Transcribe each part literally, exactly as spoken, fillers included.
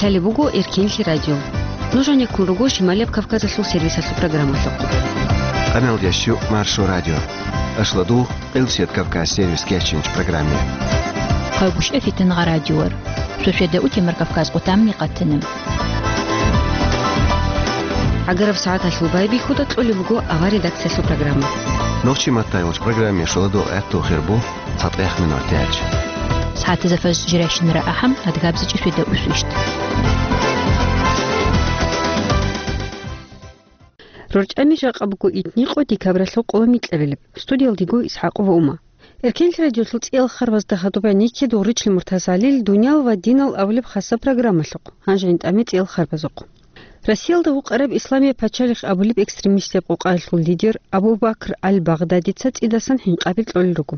Лъалеб буго Эркенлъи радио. Нуж гьанеккун руго Шималияб Кавказалъул сервисалъул программалъухъ. Къаналда щук Маршо радио. Ашладу Къилсият Кавказ сервис кечинч программе. Хъайгуща фитангъа радиор. Шошеда утемар Кавказ къутамни къатана. Агараб сагӀаталъул байбихьуда кьолеб буго авар редакциялъул программа. Нохчи маттайвач программе шоладу гӀехту хирбу. ЦатӀех минутач. СагӀатазда фаж жирайщинара ахӀам, адгабзичӀи шведа усвищ. РорчӀами жакъа буго итни къо декабралъул къоло микьабилеб. Студиялдего ИсхӀакъова Ума. Эркенлъи радиолъул цӀиял харбазда хадуб гӀенекке Дугъричил Муртазалил «Дуниял ва динал» абулеб хасаб программалъухъ, гьанже гьитӀаме цӀиял харбазухъ. Россиялда вукъараб Исламияб пачалихъ абулеб экстремистияб къокъаялъул лидер Абу Бакр аль-Багъдадица цӀидасан хӀинкъаби кьолел руго.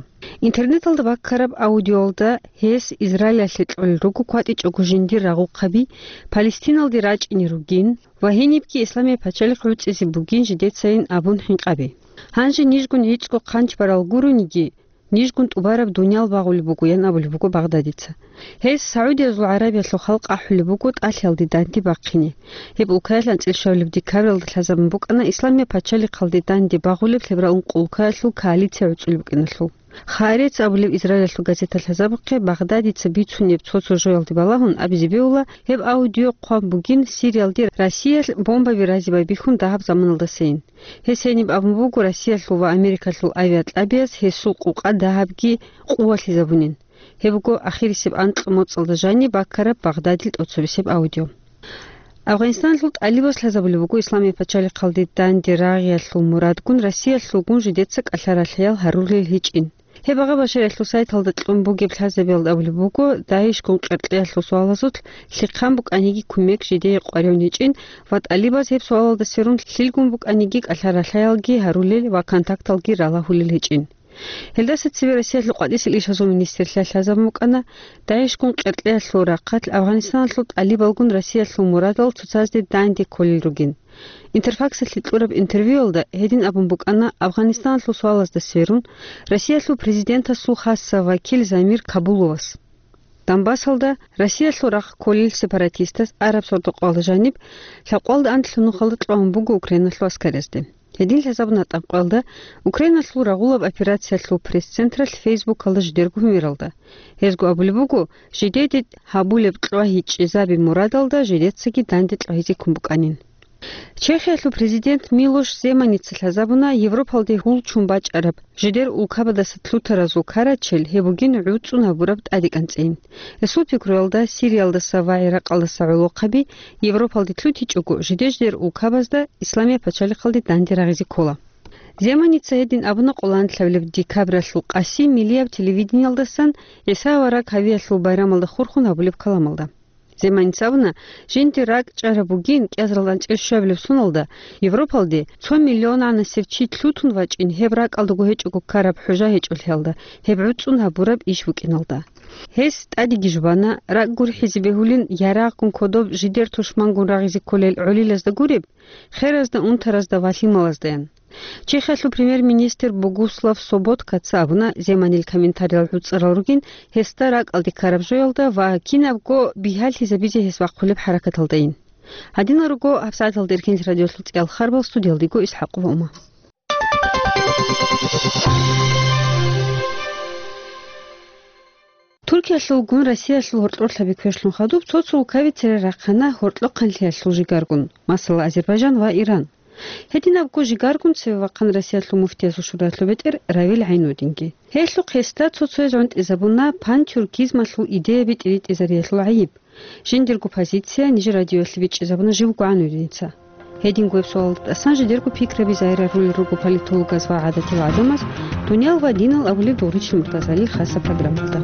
Интернеталда баккараб аудиоялда гьес Израилалъе кьолел руго кватӀичӀого жиндир рагъухъаби Палестиналде рачӀине ругин ва гьенибги Исламияб пачалихъ гӀуцӀизе бугин жидецайин абун хӀинкъаби. Гьанже нижгун гӀицӀго хъанч барал гурониги, нижгун тӀубараб дуниял багъулеб бугоян абулеб буго Багъдадица. Гьес СагӀудиязул ГӀарабиялъул халкъ ахӀулеб буго тӀалъиялде данде бахъине. Гьеб улкаялъ анцӀил щвабилеб декабралда лъазабун букӀана Исламияб пачалихъалде данде багъулеб лъеберал ункъо улкаялъул коалиция гӀуцӀулеб букӀиналъул. Хаарец абулеб Израилалъул газета лъазабухъе Багъдадица бицунеб цо-цо жоялде балагьун абизе бегьула, гьеб аудио хъван бугин Сириялде Россиялъ бомбаби разе байбихьун дагьаб заманалдасайин. Гьес гьениб абун буго Россиялъул ва Америкалъул авиакьабияз гьесул къукъа дагьабги къувалъизабунин. Гьеб буго ахирисеб анкьго моцӀалда жаниб баккараб Багъдадил тӀоцебесеб аудио. Афгъанистаналъул тӀалибаз лъазабулеб буго Исламияб пачалихъалде данде рагъиялъул мурадгун Россиялъулгун жидеца кӀалъа-ралъаял гьарулел гьечӀин. Гьеб агъа Башариялъул сайталда кьун бугеб лъазабиялда абулеб буго, ДАИШгун къеркьеялъул суалазулъ лъихъан букӀаниги кумек жидее къваригӀун гьечӀин ва тӀалибаз гьеб суалалда сверун лъилгун букӀаниги кӀалъа-ралъаялги гьарулел ва контакталги ралагьулел гьечӀин. Гьелдаса цебе Россиялъул къватӀисел ишазул министрлъиялъ лъазабун букӀана, ДАИШгун къеркьеялъул рахъалъ Афгъанистаналъул тӀалибалгун Россиялъул мурадал цоцазде данде кколел ругин. Интерфаксалъе кьураб интервьюялда гьедин абун букӀана Афгъанистаналъул суалазда сверун Россиялъул президентасул хасса вакил Замир Кабуловас. Донбассалда Россиялъул рахъ кколел сепаратистаз араб сордо-къоялда жаниб лъабкъоялда анлъго нухалда кьван буго Украиналъул аскарязде. Гьедин лъазабуна тӀабкъоялда Украиналъул рагъулаб операциялъул пресс-централъ Фейсбукалда жидерго гьумералда. Гьезго абулеб буго, жидеде гьабулеб кьвагьичӀезаби мурадалда жидецаги данде кьвагьизе ккун букӀанин. Чехиялъул президент Милош Земаница лъазабуна Европалде гьул ччун бачӀараб жидер улкабадаса лъутаразул карачел гьеб бугин гӀуцӀун гьабураб тӀадекӀанцӀейин. Гьесул пикруялда Сириялдаса ва ГӀиракъалдаса гӀолохъаби Европалде лъутичӀого, жидер-жидер улкабазда Исламияб пачалихъалде данде рагъизе ккола. Земаница гьедин абуна къоло анлъабилеб декабралъул къаси миллияб телевидениялдасан ГӀиса авараг гьавиялъул байрамалда хурхун гьабулеб каламалда. Земаница абуна, жинде ракӀчӀараб бугин кӀиазаралда анцӀил щвабилеб соналда Европалде цо миллионанасев чи лъутун вачӀин гьеб ракӀалдаго гьечӀого ккараб хӀужа гьечӀолъиялда, гьеб гӀуцӀун гьабураб иш букӀиналда. Гьес тӀадеги жубана, ракӀ гурхӀизе бегьулин ярагъгун кодоб жидер тушмангун рагъизе кколел гӀолилазда гуреб, херазда, унтаразда ва лъималаздаян. Чехиялъул премьер-министр Богуслав Соботкаца абуна, Земанил комментариял гӀуцӀарал ругин гьесда ракӀалде ккараб жоялда ва кинабго бигьалъизабизе гьес вахъулеб хӀаракаталдайин. Гьадинал руго гьабсагӀаталда Эркенлъи радиолъул цӀиял харбал, студиялдего ИсхӀакъова Ума. Туркиялъулгун Россиялъул гьоркьор лъаби квешлъун хадуб цо-цо улкаби цере рахъана гьоркьохъанлъиялъул жигаргун, масала, Азербайжан ва Иран. Гьединабго жигаргун цеве вахъана Россиялъул муфтиясул шураялъул бетӀер Равил ГӀайнудинги. Гьелъухъ гьесда цо-цояз гӀунтӀизабуна пантюркизмалъул идеяби тӀиритӀизариялъул гӀайиб. Жиндирго позиция нижер радиоялъе бичӀчӀизабуна жив ГӀайнудиница. Гьединго гьеб суалалда тӀасан жидерго пикраби загьир гьарулел руго политологаз ва гӀадатиял гӀадамаз «Дуниял ва динал» абулеб Дугъричил Муртазалил хасаб программалда.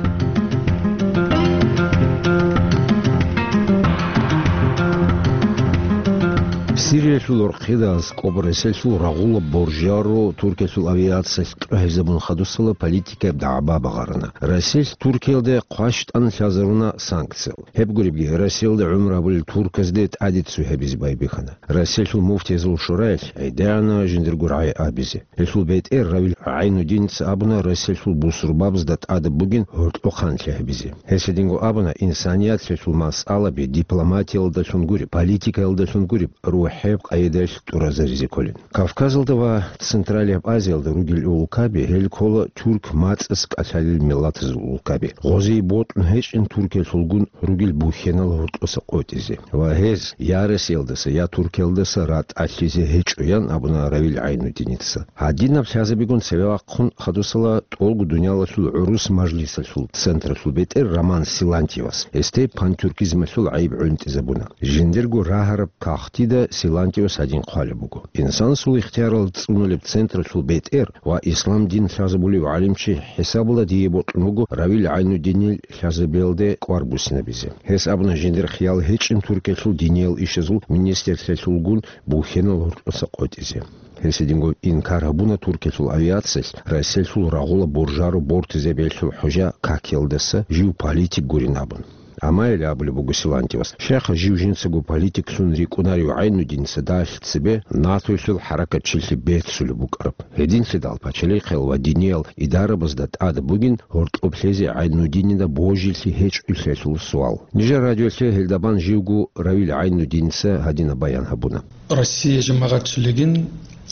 Сириялъул орхъидал аскӀоб Расилъул рагъула боржаро Туркиялъул авиациялъ кьвагьизабун хадусала политикаяб дагӀба багъарана. Расилъ Туркиялде хъващтӀан лъазаруна санкциял. Гьеб гуребги, Расиялда гӀумру гьабулел турказде тӀаде цо гьабизе байбихьана. Расилъул муфтиязул шураялъ гӀедегӀана жиндирго рагӀи абизе. Гьелъул бетӀер Равил ГӀайнудиница абуна Расилъул бусурбабазда тӀадаб бугин гьоркьохъанлъи гьабизе. Гьес гьединго абуна, инсаният лъелъул масъалаби дипломатиялдалъун гуреб, политикаялдалъун гуреб, рухӀеб къайдаялъ тӀуразаризе кколин. Кавказалда ва Централияб Азиялда ругел улкаби, гьел ккола тюрк мацӀас кӀалъалел миллатазул улкаби. Гъозие бокьун гьечӀин Туркиялъулгун ругел бухьенал гьоркьоса къотӀизе ва гьез я Расиялдаса, я Туркиялдаса ратӀалъизе гьечӀо, ян абуна Равил ГӀайнудиница. Гьадинаб лъазабигун цеве вахъун хадусала тӀолго дуниялалъул гӀурус мажлисалъул централъул бетӀер Роман Силантьевас гьесде пантюркизмалъул гӀайиб гӀунтӀизабуна. Жиндирго рагьараб кагътида Силантьевас гьадин хъвалеб буго: «Инсанасул ихтиярал цӀунулеб централъул бетӀер ва ислам дин лъазабулев гӀалимчи хӀисабалда дие бокьун буго Равил ГӀайнудинил лъазабиялде кӀвар буссинабизе». Гьес абуна жиндир хиял гьечӀин Туркиялъул диниял ишазул министрлъиялъулгун бухьенал гьоркьоса къотӀизе. Гьес гьединго инкар гьабуна Туркиялъул авиациялъ Расилъул рагъула боржаро бортизе белъул хӀужа какиялдаса жив политик гурин абун. Амма гьеле абулеб буго Силантьевас, щайха жив жинцаго политиклъун рикӀкӀунарев ГӀайнудиница далъ цебе НАТОялъул хӀаракатчилъи беццулеб букӀараб. Гьединлъидал пачалихъиял ва диниял идарабазда тӀад бугин гьоркьоб лъезе ГӀайнудинида божилъи гьечӀолъиялъул суал. Нижер радиолъе гьелда бан живго Равил ГӀайнудиница гьадинаб баян гьабуна. Россия жамагӀатчилигин,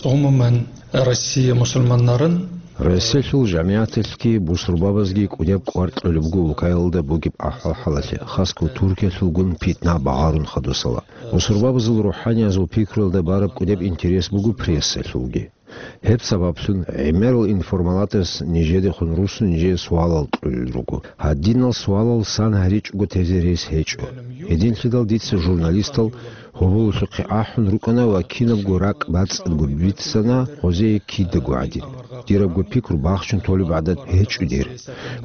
гӀумуман, Россия мусульманнарын. Россиялъул жамигӀаталъги бусурбабазги кӀудеб кӀвар кьолеб буго улкаялда бугеб ахӀвал-хӀалалъе, хасго Туркиялъулгун питна багъарун хадусала. Бусурбабазул рухӀаниязул пикруялда бараб кӀудеб интерес буго прессалъулги. Гьеб сабаблъун гӀемерал информалатас нижедехун руссун нижее суалал кьолел руго. Гьадинал суалал сан гьаричӀого тезе рес гьечӀо. Гьединлъидал дица журналистал гьоболалъухъе ахӀун рукӀана ва кинабго ракӀ бацӀцӀадго бицана гъозие кидаго гӀадин. Дирабго пикру бахчун толеб гӀадат гьечӀо дир,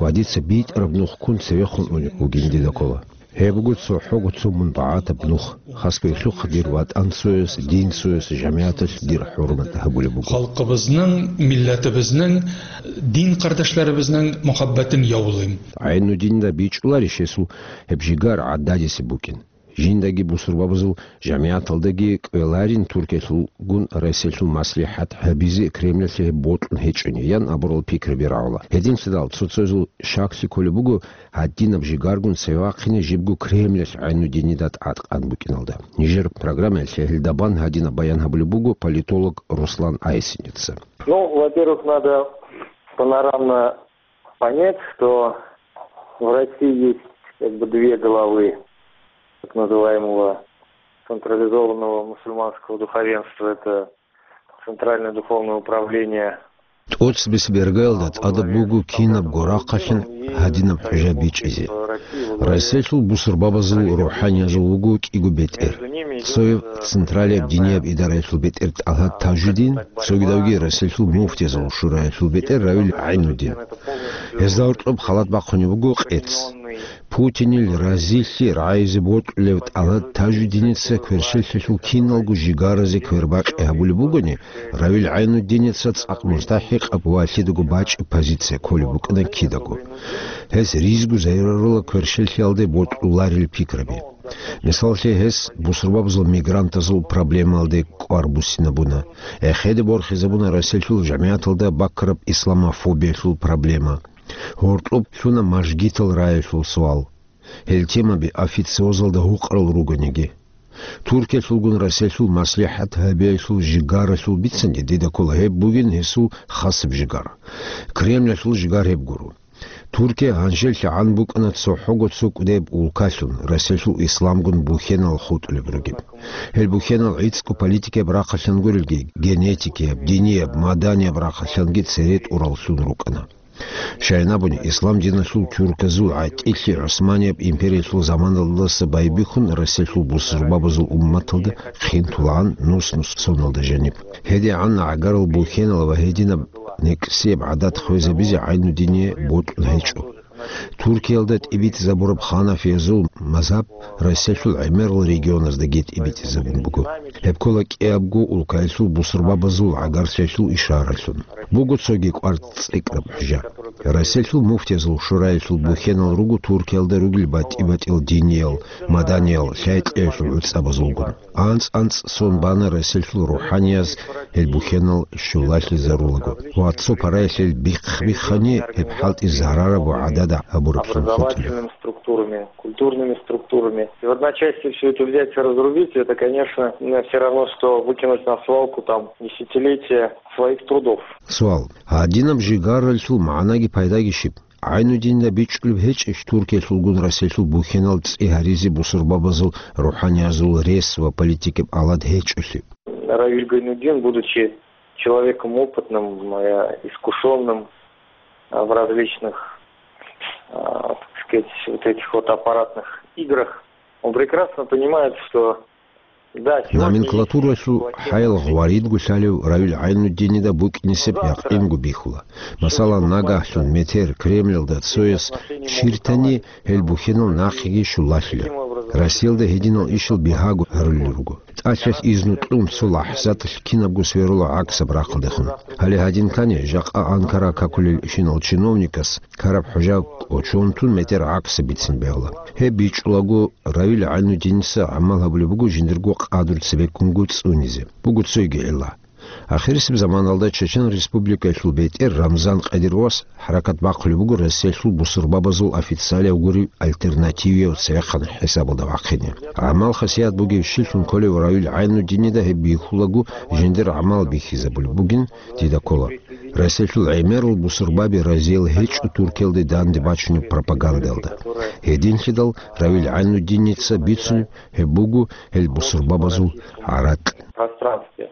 ва дица битӀараб нух ккун цевехун унеб бугин дида ккола. Гьеб буго цохӀого цо мун багӀатаб нух, хасго гьелъухъ дир ватӀан цояс, дин цояс, жамигӀаталъ дир хӀурмат гьабулеб буго. Халкъабазнан, миллатабазнан, дин къардашларабазнан мухӀаббатин явлим. ГӀайнудинда бичӀчӀуларищ гьесул гьеб жигар гӀададисеб букӀин? Жиндаги бусурбабазул жамигӀаталдаги кӀвеларин Туркиялъулгун Россиялъул маслихӀат гьабизе Кремлалъе гьеб бокьун гьечӀони, ян абурал пикраби рагӀула. Гьединлъидал цо-цоязул щаклъи кколеб буго гьадинаб жигаргун цеве вахъине жибго Кремлалъ ГӀайнудинида тӀадкъан букӀиналда. Нижер программаялъе гьелда бан гьадинаб баян гьабулеб буго политолог Руслан Айсиница. Ну, во-первых, надо панорамно понять, что в России есть как бы две головы так называемого централизованного мусульманского духовенства. Это Центральное духовное управление. ТӀоцебесеб иргаялда тӀадаб буго кинабго рахъалъин гьадинаб хӀужа бичӀчӀизе. Россиялъул бусурбабазул рухӀаниязул вуго кӀиго бетӀер. Цояв централияб динияб идараялъул бетӀер ТӀалгьат Тажудин, цогидавги Россиялъул муфтиязул шураялъул бетӀер Равил ГӀайнудин. Гьезда гьоркьоб халат бахъунеб буго къец. Путинил разилъи рагӀизе бокьулев ТӀалгьат Тажудиница кверщелъалъул киналго жигаразе квербакъи гьабулеб бугони, Равил ГӀайнудиница цӀакъ мустахӀикъаб ва лъидаго бачӀеб позиция кколеб букӀана кидаго. Гьес ризго зайрарула кверщелъиялде бокьуларел пикраби. Мисаллъе, гьес бусурбабазул мигрантазул проблемалде кӀвар буссинабуна. Эхеде борхизабуна Россиялъул жамигӀаталда баккараб исламофобиялъул проблема. Гьоркьоб лъуна мажгитал раялъул суал. Гьел темаби официозалда гьукъарал ругониги. Туркиялъулгун Россиялъул маслихӀат гьабиялъул жигаралъул бицанде дида ккола гьеб бугин гьесул хасаб жигар. Кремлалъул жигар гьеб гуро. Туркия гьанжеллъи гӀан букӀана цохӀого цо кӀудеб улкалъун, Россиялъул исламгун бухьенал хутӀулеб ругеб. Гьел бухьенал гӀицӀго политикияб рахъалъан гурелги, генетикияб, динияб, маданияб рахъалъанги цере тӀураллъун рукӀана. Щайин абуни, ислам диналъул тюрказул гӀатӀилъи ГӀусманияб империялъул заманалдаса байбихьун Россиялъул бусурбабазул умматалда хъинтулагӀан нус-нус соналда жаниб. ГьедигӀан гӀагарал бухьенал ва гьединаб некӀсияб гӀадат хвезабизе ГӀайнудине бокьун гьечӀо. Туркиялда тӀибитӀизабураб ханафиязул мазгьаб Россиялъул гӀемерал регионаздаги тӀибитӀизабун буго. Гьеб ккола кӀиябго улкаялъул бусурбабазул гӀагарлъиялъул ишаралъун. Буго цоги кӀвар цӀикӀкӀараб хӀужа. Россиялъул муфтиязул шураялъул бухьенал руго Туркиялда ругел батӀи-батӀиял диниял, маданиял, лъай-лъиялъул гӀуцӀабазулгун. АнцӀ-анцӀ сон бана Россиялъул рухӀанияз гьел бухьенал щулалъизарулаго ва цо параялъ гьел бихъ-бихъани гьеб хӀалтӀи зарараб ва гӀадада гьабураблъун хутӀила. Образовательными структурами, культурными структурами. И в одночасье всё это взять и разрубить, это, конечно, все равно, что выкинуть на свалку там десятилетия своих трудов. Суал. Гьадинаб жигаралъул магӀнаги пайдаги щиб? ГӀайнудинда бичӀчӀулеб гьечӀищ Туркиялъулгун Россиялъул бухьенал цӀи гьаризе бусурбабазул рухӀаниязул рес ва политикаб алад гьечӀолъи? Равиль Гайнудин, будучи человеком опытным, э, искушённым, э, в различных, э, так сказать, вот этих вот аппаратных играх, он прекрасно понимает, что, да, сегодня есть... Номенклатуралъул хӀаял гъваридго лъалев Равил ГӀайнуддинида букӀинисеб якъинго бихьула. Масала, нагагьлъун метер Кремльалда цояс чиртани, гьел бухьенал нахъеги щулалъила. Россиялда гьединал ишал бигьаго гьарулел руго. ТӀалъалъ изну кьун, цо лахӀзаталъ кинабго сверула гӀаксаб рахъалдехун. Гьале гьадин ккани, жакъа Анкара какулелщинал чиновникас ккараб хӀужа кӀочон тун метер гӀаксаб бицин бегьула. Гьеб бичӀчӀулаго, Равил ГӀайнуддиница гӀамал гьабулеб буго жиндирго къадру цебеккунго цӀунизе. Буго цойги гӀилла. Ахирисеб заманалда Чечен Республикаялъул бетӀер Рамзан Кадыровас хӀаракат бахъулеб буго Россиялъул бусурбабазул официалияв гуреб альтернативияв цевехъан хӀисабалда вахъине. ГӀамал-хасият бугебщинлъун кколев Равил ГӀайнуддинида гьеб бихьулаго жиндир гӀамал бихьизабулеб бугин дида ккола. Россиялъул гӀемерал бусурбаби разиял гьечӀо Туркиялде данде бачунеб пропагандаялда. Гьединлъидал Равил ГӀайнуддиница бицунеб гьеб буго гьел бусурбабазул гӀаракь. Пространстве.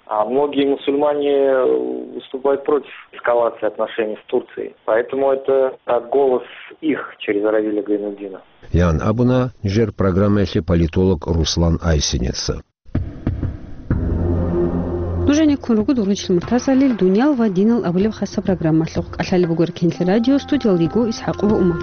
А многие мусульмане, э, выступают против эскалации отношений с Турцией. Поэтому это, э, голос их через Равиля Гайнуддина. Ян абуна нижер программаялъе политолог Руслан Айсинеца. Нужениккун руго дур вугев Муртазалил «Дуниял ва динал» абулеб хасаб программалъухъ. КӀалъалеб буго Эркенлъи радио, студиялда йиго ИсхӀакъова Умар.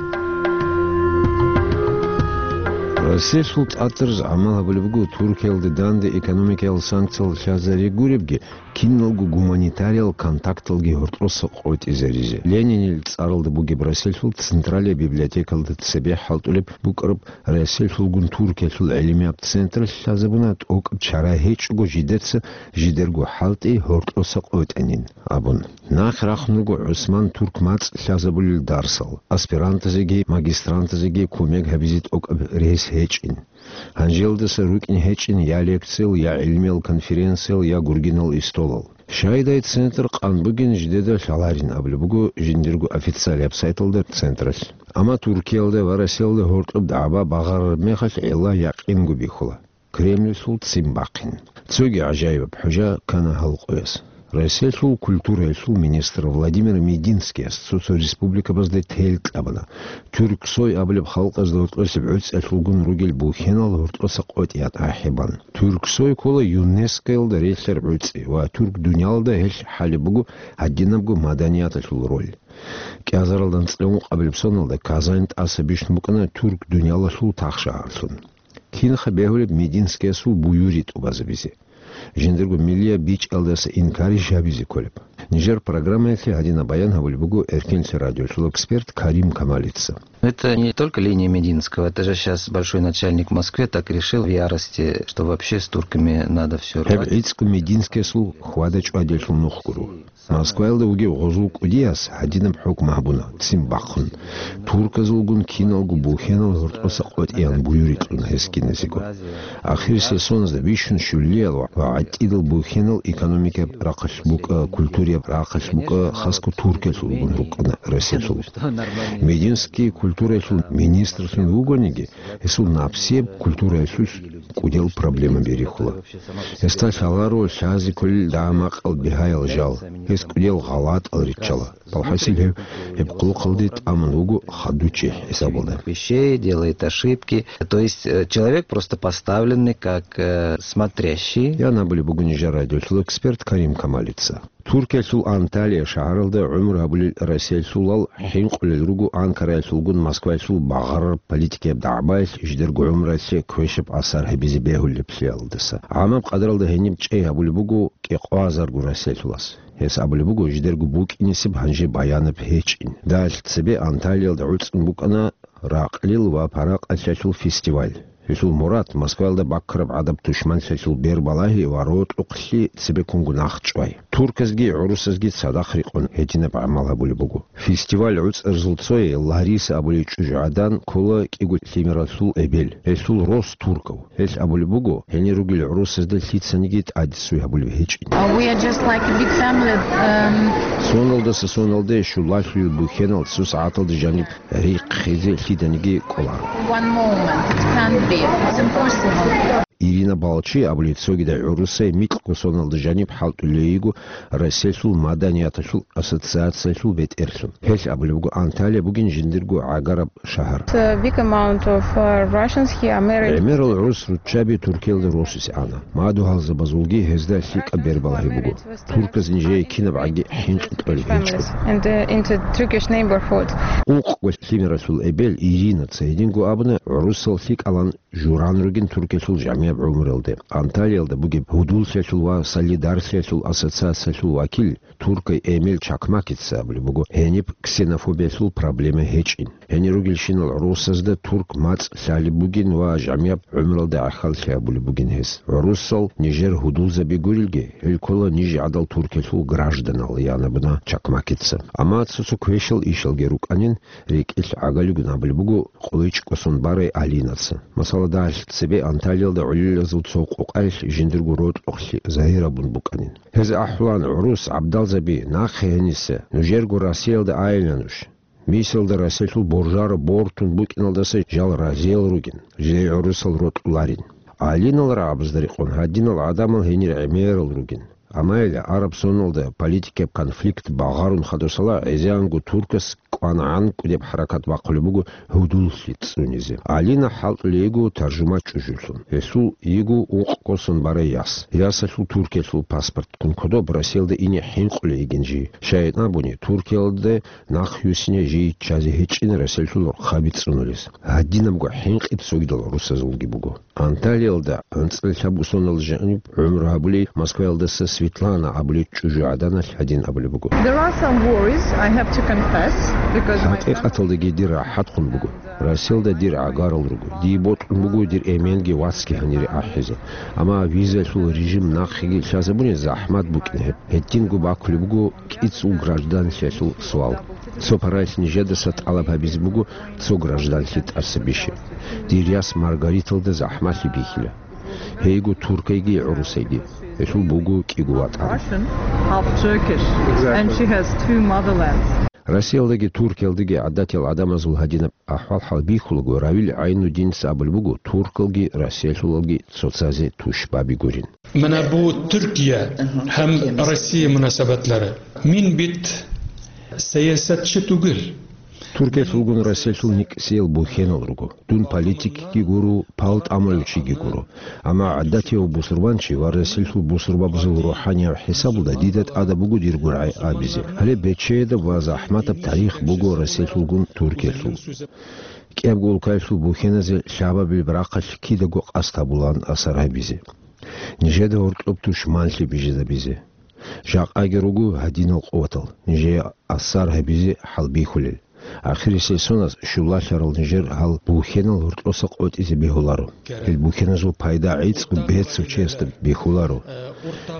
Россиялъул тӀатараз гӀамал гьабулеб буго Туркиялде данде экономикиял санкциял лъазари гуребги, киналго гуманитариял контакталги гьоркьоса къотӀизаризе. Ленинил цӀаралда бугеб Россиялъул Централияб библиотекалда цебе хӀалтӀулеб букӀараб Россиялъулгун Туркиялъул гӀилмияб центр лъазабуна, тӀокӀаб чара гьечӀого жидеца жидерго хӀалтӀи гьоркьоса къотӀанин абун. Нахъ рахун руго ГӀусман Турк мацӀ лъазабулел дарсал, аспирантазеги магистрантазеги кумек гьабизе тӀокӀаб рес гьечӀин. Гьанжелдаса рукӀин гьечӀин я лекциял, я гӀилмиял конференциял, я гургинал истолал. Щайдай центр къан бугин жидеда лъаларин абулеб буго жиндирго официалияб сайталда централъ. Амма Туркиялда ва Россиялда гьоркьоб дагӀба багъарараб мехалъ гӀилла якъинго бихьула: Кремльлъул ццин бахъин. Цоги гӀажаибаб хӀужа ккана гьал къояс. Россиялъул культураялъул министр Владимир Мединскияс цо-цо республикабазда тел кьабана, Тюрксой абулеб халкъазда гьоркьосеб гӀуцӀиялъулгун ругел бухьенал гьоркьоса къотӀият ахӀи бан. Тюрксой ккола ЮНЕСКОялда релълъараб гӀуцӀи ва турк дуниялда гьелъ хӀалеб буго гьадинабго маданияталъул роль. КӀиазаралда анцӀила ункъабилеб соналда Казань тӀаса бищун букӀана турк дуниялалъул тахшагьарлъун. Кинха бегьулеб Мединскиясул буюри тӀубазабизе? Жиндирго миллияб бичӀчӀиялдаса инкарищ гьабизе кколеб? Нижер программаялъе гьадинаб баян гьабулеб буго Эркенлъи радиолъул эксперт Карим Камалица. Это не только линия Мединского, это же щас большой начальник в Москве так решил в ярости, что вообще с турками надо всё рвать. Гьеб гӀицӀго Мединскиясул хьвада-чӀвадиялъул нух гуро. Москваялда вугев гъозул кӀудияс гьадинаб хӀукму гьабуна, ццин бахъун. Турказулгун киналго бухьенал гьоркьоса къотӀиян буюри кьуна гьес киназего. Ахирисел соназда бищун щулиял ва гӀатӀидал бухьенал экономикаяб рахъалъ букӀа, культураяб рахъалъ букӀа, хасго Туркиялъулгун рукӀана Россиялъул. Мединский культураялъул министрлъун вугониги, гьесул напсияб культураялъулъ кӀудиял проблемаби рихьула. Гьесда лъаларо лъазе кколел дагӀа-макъал бигьаял жал, гьес кӀудиял гъалатӀал риччала. Балхасил гьев гьеб къулухъалде тӀамун вуго хадучи хӀисабалда. Вещей, делает ошибки. То есть, э, человек просто поставленный как, э, смотрящий. Ян абулеб буго нижер радиолъул эксперт Карим Камалица. Туркиялъул Анталия шагьаралда гӀумру гьабулел расиялъулал хӀинкъулел руго Анкараялъулгун Москваялъул багъарараб политикияб дагӀбаялъ жидерго гӀумруялъе квешаб асар гьабизе бегьулеблъиялдаса. ГӀамаб къадаралда гьениб чӀей гьабулеб буго кӀикъоязарго расиялъулас. Гьес абулеб буго, жидерго букӀинисеб гьанже баянаб гьечӀин. Далъ цебе Анталиялда гӀуцӀун букӀана ракълил ва паракъалъиялъул фестиваль. Гьелъул мурад Москваялда баккараб гӀадаб тушманлъиялъул бербалагьи ва рокьухълъи цебеккунго нах чӀвай. Турказги гӀурусазги цадахъ рекъон гьединаб гӀамал гьабулеб буго. Фестиваль гӀуцӀарзул цое Лариса абулей чӀужугӀадан ккола кӀиго лъимералъул эбел. Гьелъул рос туркав. Гьелъ абулеб буго, гьенир ругел гӀурусазда лъицаниги тӀадесуй гьабулеб гьечӀин. Uh, we are just like a big family. Um, Соналдаса соналде щулалъуйил бухьенал цо сагӀаталда жаниб риххизе лъиданиги кӀоларо. One moment. It can't be. It's impossible. Ирина Балчи абулей цогидай гӀурусай микьго соналда жаниб хӀалтӀулей йиго Россиялъул маданияталъул ассоциациялъул бетӀерлъун. Гьелъ абулеб буго, Анталия бугин жиндирго гӀагараб шагьар. A big amount of, uh, Russians here are married. ГӀемерал гӀурус руччаби Туркиялда росизе ана. Мадугьалзабазулги гьезда лъикӀаб бербалагьи буго. Турказ нижее кинабгӀаги хӀинкъи кьолеб гьечӀо. And, uh, into Turkish neighborhood. Укъго лъимералъул эбел Иринаца гьединго абуна, гӀурусал лъикӀалан журан ругин Туркиялъул жамияб гӀумруялде. Анталиялда бугеб гьудуллъиялъул ва солидаралъиялъул ассоциациялъул вакил туркай Эмил Чакмакица абулеб буго, гьениб ксенофобиялъул проблема гьечӀин. Гьенир ругелщинал гӀурусазда турк мацӀ лъалеб бугин ва жамияб гӀумруялда гӀахьаллъи гьабулеб бугин гьес. ГӀурусал нижер гьудулзаби гурелги, гьел ккола ниж гӀадал Туркиялъул гражданал, ян абуна Чакмакица. Амма цо-цо квешал ишалги рукӀанин, рекӀелъ гӀагалигун абулеб буго КъойчӀкӀосон барай Алинаца. Масала, далъ цебе Анталиялда гӀолилазул цо къокъаялъ жиндирго рокьухълъи загьир гьабун букӀанин. Гьез ахӀулаан гӀурус гӀабдалзаби, нахъе гьениса, нужерго Россиялда айилан нуж. Мисалда, Россиялъул боржаро бортун букӀиналдаса жал разиял ругин, жидее гӀурусал рокьуларин. Алинал рагӀабазда рекъон гьадинал гӀадамал гьенир гӀемерал ругин. Амма гьел гӀараб соналда политикияб конфликт багъарун хадусала гӀезегӀанго туркас кӀванагӀан кӀудеб хӀаракат бахъулеб буго гьудуллъи цӀунизе. Алина хӀалтӀулей йиго таржумач чӀужулъун. Гьесул йиго укъго сон барай яс. Ясалъул Туркиялъул паспорт ккун кодоб Россиялда ине хӀинкъулей йигин жий. Щайин абуни, Туркиялда нахъюсине жий ччазе гьечӀин Россиялъул рохаби цӀунулес. Гьадинабго хӀинкъи цогидал гӀурусазулги буго. Анталиялда анцӀила лъабго сонал жаниб гӀумру гьабулей Москваялдаса Светлана абулей чӀужугӀаданалъ гьадин абулеб буго. There are some worries, I have to confess, because my ХӀакъикъаталдаги дир рахӀат хъун буго. Россиялда дир гӀагарал руго. Дие бокьун буго дир эменги вацги гьанире ахӀизе. Амма визалъул режим нахъеги лъазабуни захӀмат букӀин гьеб. Гьединго бакулеб буго кӀицӀул гражданлъиялъул суал. Цо паралъ нижедаса тӀалаб гьабизе буго цо гражданлъи тӀаса бише. Дир яс Маргариталда захӀмалъи бихьила. Гьейго туркайги гӀурусайги. Гьелъул буго кӀиго ватӀан. Russian, half Turkish, and she has two motherlands. Россиялдаги Туркиялдаги гӀадатиял гӀадамазул гьадинаб ахӀвал-хӀал бихьулаго, Равил ГӀайнуддиница абулеб буго, туркалги россиялъулалги цоцазе тушбаби гурин. Мана бу Туркия гьам Россия мунасабатлара. Мин бит сиясатчи тугел. Туркиялъулгун Россиялъул никӀсиял бухьенал руго. Дун политикги гуро, пал тӀамулев чиги гуро. Амма гӀадатияв бусурбанчи ва Россиялъул бусурбабазул рухӀанияв хӀисабалда дида тӀада буго дирго рагӀи абизе. Гьале бечедаб ва захӀматаб тарих буго Россиялъулгун Туркиялъул. КӀиябго улкаялъул бухьеназе лъабабилеб рахъалъ кидаго къасд гьабулаан асар гьабизе. Нижеда гьоркьоб тушманлъи бижизабизе. Жакъаги руго гьадинал къуватал, нижее асар гьабизе хӀалбихьулел. Ахирисеб соназ щулалъарал нижер гьал бухьенал гьоркьоса къотӀизе бегьуларо. Гьел бухьеназул пайда гӀицӀго бецав чиясда бихьуларо.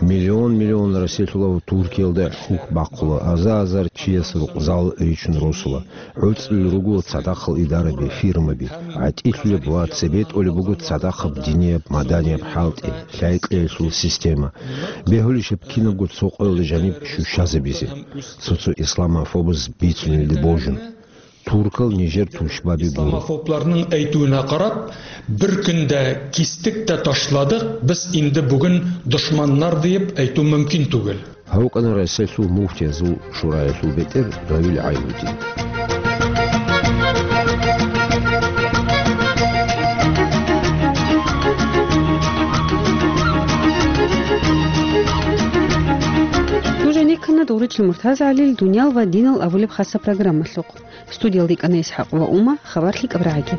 Миллион-миллион Россиялъулав Туркиялда хӀухь бахъула, аза-азар чияс рукъзал ричун росула. ГӀуцӀулел руго цадахъал идараби, фирмаби, гӀатӀилъулеб ва цебетӀолеб буго цадахъаб динияб, маданияб хӀалтӀи, лъай-кьеялъул система. Бегьулищеб кинабго цо къоялда жаниб щущазабизе, цо-цо исламофобаз бицунелде божун. Туркал нижер тушбаби гуро. Исламофобларның әйтүенә карап, бер көндә кистек тә ташладык, без инде бүген дошманнар диеп әйтү мөмкин түгел. Гьав вукӀана Россиялъул муфтиязул шураялъул бетӀер Равил ГӀайнудин. Нуженик Ручил МуртазагӀалил «Дуниял ва динал» абулеб хасаб программалъухъ. Студиялда йикӀана ИсхӀакъ ва Ума, хабар лъикӀаб рагӀаги.